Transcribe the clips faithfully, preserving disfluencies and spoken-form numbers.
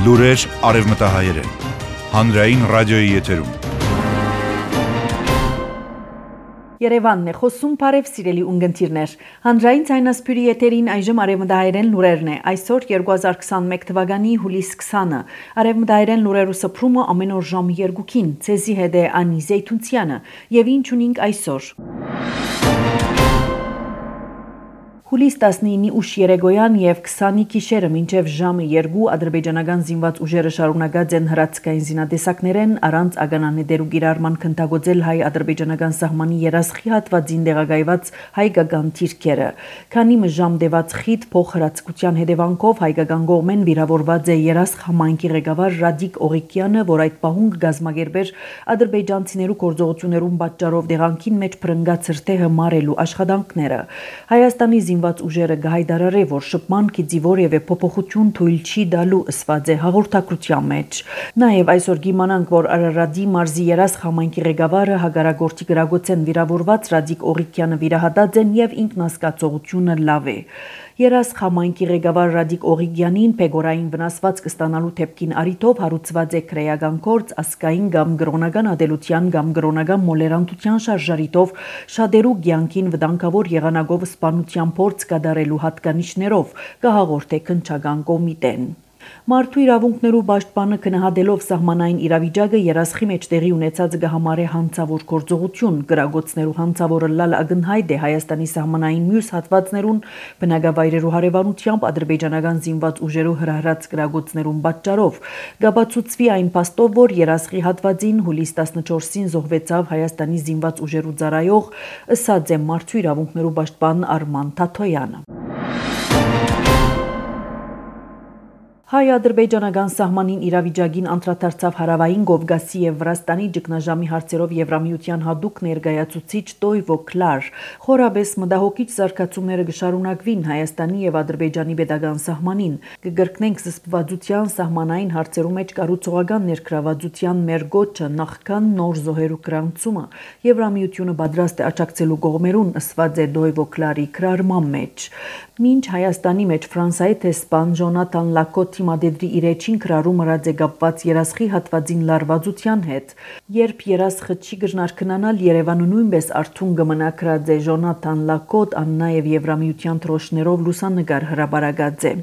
Լուրեր արևմտահայերեն, հանրային ռադիոյի եթերում։ Երևանն է խոսում, բարև սիրելի ունգընտիրներ։ Հանրային ցայնասպյուրի եթերին այժմ արևմտահայերեն լուրերն է։ Այսօր երկու հազար քսանմեկ թվականի հուլիս քսանը։ Արևմտահայերեն լուրերու սփռումը ամեն օր ժամը երկուքին։ Ցեզի հետ է Անի Զեյթունցյանը։ Եվ ինչ ունենք այսօր։ Հուլիս տասնինի ուշ երեկոյան եւ քսանի գիշերը մինչեւ ժամը երկու ադրբեջանական զինված ուժերը շարունակած են հրացքային զինատեսակներեն առանց ագանանետերու գիրառման քննադատել հայ-ադրբեջանական սահմանի երասխի հատվածին տեղակայված հայկական թիրքերը։ Քանի մժամ դեված խիտ փոխհրացկության հետևանքով հայկական կողմեն վիրավորված է երասխ համայնքի ղեկավար Ռադիկ Օղիկյանը, որ այդ պահուն գազմագերբեր ադրբեջանցիներու գործողություններուն պատճառով դեղանքին մեջ փրկած հրթեհը մարելու աշխատանքները։ Հայաստանի զինված ուժերը գահայդարարե, որ շփման գիծի որևէ փոփոխություն թույլ չի տալու ըսված է հաղորդակցության մեջ։ Նաև այսօր կիմանանք, որ Արարատի մարզի երասխ համայնքի ղեկավարը հագարագործի գրագոցեն վիրավորված Ռադիկ Օղիկյանը վիրահատած են եւ ինքնասկացողությունը լավ է։ Երասխ համայնքի ղեկավար Ռադիկ Օղիկյանին փեգորային վնասված կստանալու թեփքին առիթով հարուցված է քրեական գործ ասկային կամ գրոնական ադելության կամ գրոնական մոլերանտության շարժարիտով շատերու կյանքին վտանգավոր եղանակով սպանության փորձ կատարելու հատկանիշներով կհաղորդե քննչական կոմիտեն։ Մարդու իրավունքներու պաշտպանը քննադատելով սահմանային իրավիճակը երասխի մեջ տեղի ունեցած գահամարե հանցավոր գործողություն գրագոցներու հանցավորը լալ ագնհայտ է Հայաստանի սահմանային մյուս հատվածներուն բնակավայրերու հարևանությամբ ադրբեջանական զինված ուժերու հրահրած գրագոցներուն պատճառով գաբացուցվի այն փաստով, որ երասխի հատվածին հուլիս տասնչորսին զոհվեցավ Հայաստանի զինված ուժերու ծառայող ըսած է մարդու իրավունքներու պաշտպան Արման Թաթոյանը։ Հայ-ադրբեջանական սահմանին իրավիճակին անդրադարձավ Հարավային Կովկասի եւ Վրաստանի ճգնաժամի հարցերով Եվրամիության հատուկ ներկայացուցիչ Տոյվո Կլար։ Խորաբես մտահոգիչ զարգացումները կշարունակվին Հայաստանի եւ Ադրբեջանի պետական սահմանին։ Կգրկնենք զսպվածության սահմանային հարցերու մեջ կառուցողական ներգրավվածության մեր գոչը նախքան նոր զոհերու գրանցումը Եվրամիությունը պատրաստ է աջակցելու կողմերուն ըսված է Տոյվո Կլարի գրառման մեջ։ Մինչ Հայաստանի մեջ Ֆրանսիայի տեսփան Ջոնաթան Լակոտ Մադեդրի իր էջին գրառում ըրած է կապված երասխի հատվածին լարվածության հետ, երբ երասխը չի գժնարկնանալ Երևանը նույնպես արթուն կմնա գրած է Ժոնաթան Լակոտ, ան նաև Եվրամիության թրոշներով լուսանկար հրապարակած է։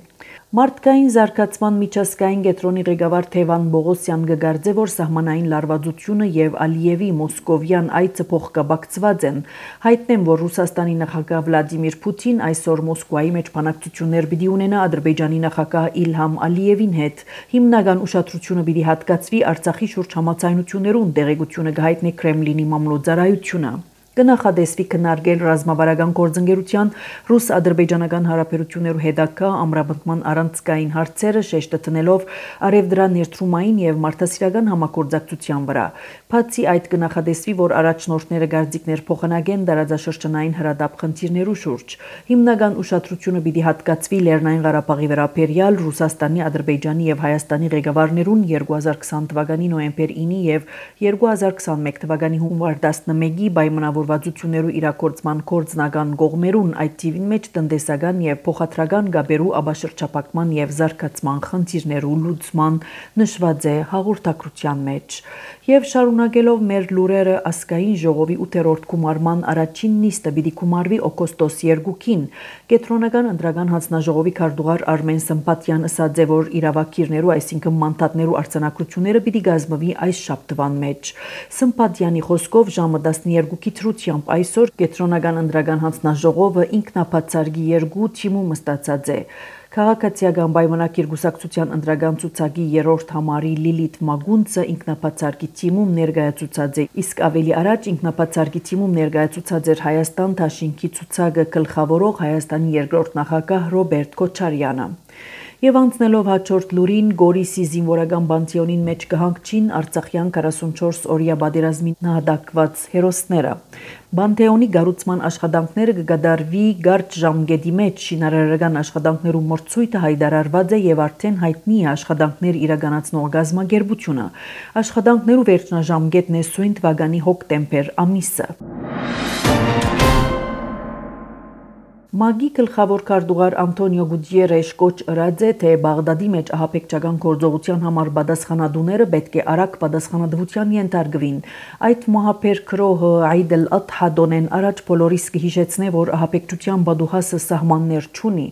Մարդկային զարգացման միջազգային կենտրոնի ղեկավար Թևան Բողոսյան կգարձե, որ սահմանային լարվածությունը եւ Ալիևի մոսկովյան այցը փոխկապակցված են։ Հայտնեմ, որ Ռուսաստանի նախագահ Վլադիմիր Պուտին այսօր Մոսկվայի մեջ բանակցություններ պիտի ունենա Ադրբեջանի նախագահ Իլհամ Ալիևին հետ։ Հիմնական ուշադրությունը պիտի հատկացվի Արցախի շուրջ համաձայնություններուն, տեղեկությունը կհայտնի Կրեմլինի մամլոյցարայությունը։ Կնախադեсվի քննարկել ռազմավարական գործընկերության ռուս-ադրբեջանական հարաբերություններու հետագա ամրապնդման առանցքային հարցերը շեշտը տնելով արևդրա ներդրումային եւ մարդասիրական համագործակցության վրա։ Բացի այդ կնախադեсվի, որ առաջնորդները գարձիկներ փոխանակեն տարածաշրջանային հրադապ խնդիրներու շուրջ։ Հիմնական ուշադրությունը պիտի հատկացվի Լեռնային Ղարաբաղի վերաբերյալ Ռուսաստանի, Ադրբեջանի եւ Հայաստանի ղեկավարներուն երկու հազար քսան թվականի նոյեմբեր ինը եւ երկու հազար քսանմեկ թվականի հունվար տասնմեկի պայմանավոր վարչություններու իրակորձման կորձնական կողմերուն այդ թիվին մեջ տնտեսական եւ փոխադրական գաբերու աբաշրջապակման եւ զարգացման խնդիրներու լուծման նշված է հաղորդակցության մեջ եւ շարունակելով մեր լուրերը ասկային ժողովի ութերորդ գումարման առաջին նիստը պիտի գումարվի օգոստոս երկուքին կենտրոնական ընտրական հանձնաժողովի քարտուղար Արմեն Սմբատյան ըսած է, որ իրավակիրներու, այսինքն մանդատներու արձանագրությունները պիտի գազմվի այս շաբթվան մեջ։ Սմբատյանի խոսքով ժամը տասներկուի թրությամբ այսօր կենտրոնական ընտրական հանձնաժողովը ինքնաբացարկի երկու թիմում ստացած է։ Քաղաքացիական պայմանագիր գուսակցության ընտրական ցուցակի երրորդ համարի Լիլիթ Մագունցը ինքնաբացարկի թիմում ներկայացուցած է, իսկ ավելի առաջ ինքնաբացարկի թիմում ներկայացուցած էր Հայաստան Դաշինքի ցուցակը գլխավորող Հայաստանի երկրորդ նախագահ Ռոբերտ Քոչարյանը։ Եվ անցնելով հաջորդ լուրին, Գորիսի զինվորական բանտեոնին մեջ կհանգչին Արցախյան քառասունչորս օրյա պատերազմին նահատակված հերոսները։ Բանտեոնի գառուցման աշխատանքները կկատարվի կարճ ժամկետի մեջ, շինարարական աշխատանքներու մրցույթը հայտարարված է եւ արդեն հայտնի է աշխատանքներ իրականացնող գազམ་ագերբությունը։ Աշխատանքներու վերջնաժամկետն է սույն թվականի հոկտեմբեր ամիսը։ ՄԱԳ-ի գլխավոր քարտուղար Անտոնիո Գուտիերեշ կոչ ըրած է, թե Բաղդադի մեջ ահաբեկչական գործողության համար պատասխանատուները պետք է արագ պատասխանատվության ենթարկվին։ Այդ մահապեր քրոհը Այդ ալ-Ադհա դոնեն առաջ բոլորիս կհիշեցնե, որ ահաբեկչության բադուհասը սահմաններ չունի։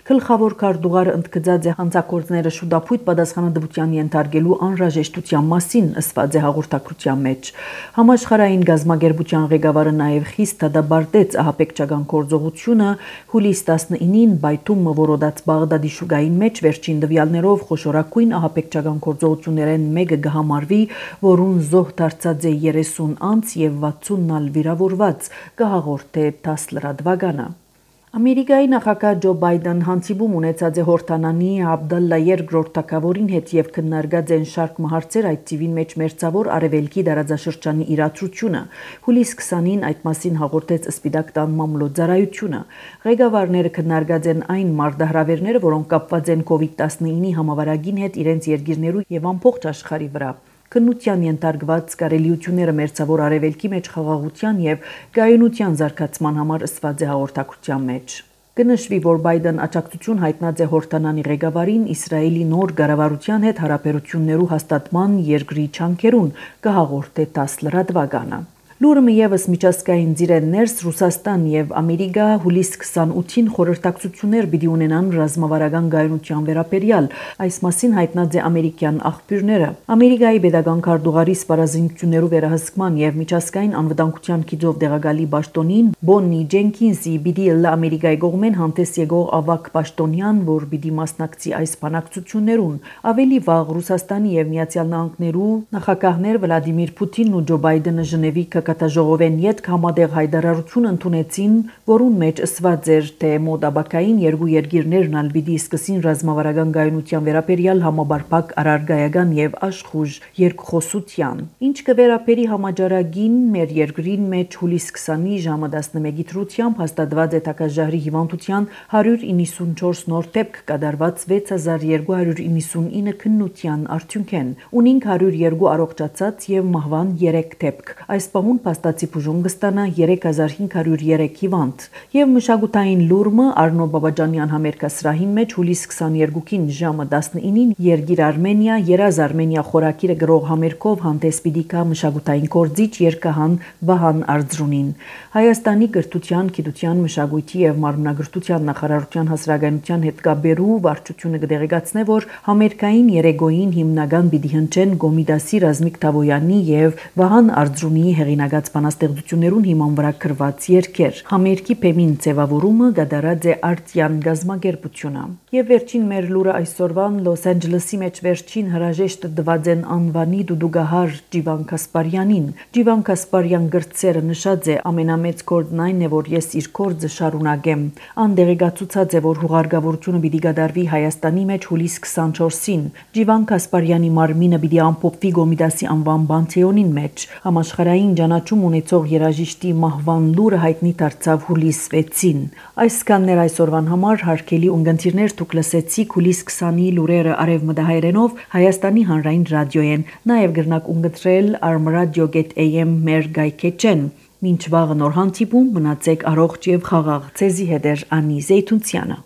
Գլխավոր քարտուղարը ընդգծած է հանցագործները շուտապույտ պատասխանատվության ենթարկելու անհրաժեշտության մասին, ըսված է հաղորդակցության մեջ։ Համաշխարհային գազագերբության ղեկավարը նաև խիստ դադարեցրեց ահաբեկչական գործողությունը հուլիս տասնինին Բայթում որոդած Բաղդադի շուգային մեջ վերջին տվյալներով խոշորագույն ահաբեկչական գործողություններեն մեկը կհամարվի, որուն զոհ դարձած է երեսուն անձ եւ վաթսունն ալ վիրավորված, կհաղորդե թաս լրատվականը։ Ամերիկայի նախագահ Ջո Բայդեն հանդիպում ունեցած է Հորդանանի Աբդալլա երկրորդ թագավորին հետ եւ քննարկած են շարք հարցեր, այդ թիվին մեջ մերձավոր արևելքի դարաձաշրջանի իրադրությունը։ Հուլիս քսանին այդ մասին հաղորդեց Սպիտակ տան մամլոյցարայությունը։ Ղեկավարները քննարկած են այն մարտահրավերները, որոնք կապված են կովիդ տասնինի համավարակին հետ իրենց երկիրներու եւ ամբողջ աշխարհի վրա։ Քննության ենթարկված կարելիությունները մերձավոր արևելքի մեջ խաղաղության եւ գայունության զարգացման համար ըսված է հաղորդակցության մեջ։ Կնշվի, որ Բայդեն աջակցություն հայտնած է Հորդանանի ղեկավարին Իսրայելի նոր կառավարության հետ հարաբերություններու հաստատման երկրի չանքերուն, կհաղորդե թաս լրատվականը։ Լուրը եւս միջազգային ծիրեն ներս Ռուսաստան եւ Ամերիկա հուլիս քսանութին խորհրդակցություններ պիտի ունենան ռազմավարական գայունության վերաբերյալ, այս մասին հայտնած է ամերիկյան աղբյուրները։ Ամերիկայի pedagogan քարտուղարի սպառազինություններու վերահսկման եւ միջազգային անվտանգության գիծով դեղակալի պաշտոնին Բոննի Ջենքինսի պիտի լա Ամերիկայի կողմեն հանդես եկող ավակ պաշտոնյան, որ պիտի մասնակցի այս բանակցություններուն։ Ավելի վաղ Ռուսաստանի եւ Միացյալ Նահանգներու նախագահներ Վլադիմիր Պուտինն ու Ջո Բայդենը Ժնևի Կատաժողովեն յետք համատեղ հայտարարություն ընդունեցին, որուն մեջ ըսված էր, թե մոտաբակային երկու երկիրներն ալ պիտի սկսին ռազմավարական գայունության վերաբերյալ համաբարփակ առարգայական եւ աշխուժ երկխոսության։ Ինչ կվերապերի համաճարակին մեր երկրին մեջ հուլիս քսանի ժամը տասնմեկի դրությամբ հաստատված է թակաժահրի հիվանդության հարյուր իննսունչորս նոր դեպք կատարված վեց հազար երկու հարյուր իննսունինը քննության արդյունքեն, ունինք հարյուր երկու առողջացած եւ մահվան երեք դեպք։ Այս պահուն փաստացի բուժում կստանա երեք հազար հինգ հարյուր երեք հիվանդ։ Եվ մշակութային լուրը Արնո Բաբաջանյան համերգասրահին մեջ հուլիս քսաներկուին ժամը տասնինին Երգիր Արմենիա երազ Արմենիա խորակիրը գրող համերգով հանդես պիտի գա մշակութային գործիչ երգահան Վահան Արձրունին։ Հայաստանի կրթության, գիտության, մշակույթի եւ մարմնագրթության նախարարության հասարակայնության հետ կապերու վարչությունը կդեղեկացնե, որ համերգային երեգոյին հիմնական պիտի հնչեն Գոմիդասի Ռազմիկ Թավոյանի եւ Վահան Արձրունիի հեղինակած բանաստեղծություններուն հիման վրա գրված երգեր։ Համերգի փեմին ձևավորումը կատարած է արտյան գազագերբությունը։ Եվ վերջին մեր լուրը այսօրվան Լոս Անջելեսի մեջ վերջին հրաժեշտ տված են անվանի դուդուգահար Ջիվան Կասպարյանին։ Ջիվան Կասպարյան գրծերը նշած է ամենամեծ գործն այն է, որ ես իր գործը շարունակեմ։ Անդեղեկացուցած է, որ հուղարկավորությունը պիտի կատարվի Հայաստանի մեջ հուլիս քսանչորսին։ Ջիվան Կասպարյանի մարմինը պիտի ամփոփվի Գոմիդասի անվան բանթեոնին մեջ։ Համաշխարհային ճանաչում ունեցող երաժիշտի մահվան լուրը հայտնի դարձավ հուլիս վեցին։ Այսքաններ այսօրվան համար հարգելի ունգընտիրներ, դուք լսեցիք հուլիս քսանի լուրերը արևմտահայերենով Հայաստանի հանրային ռադիոյեն, նաև գրնակ ունգընտրել armradio dot a m մեր գայքեջեն։ Մինչ վաղը նոր հանդիպում, մնացեք առողջ եւ խաղաղ։ Ցեզի հետ է Անի Զեյթունցյանը։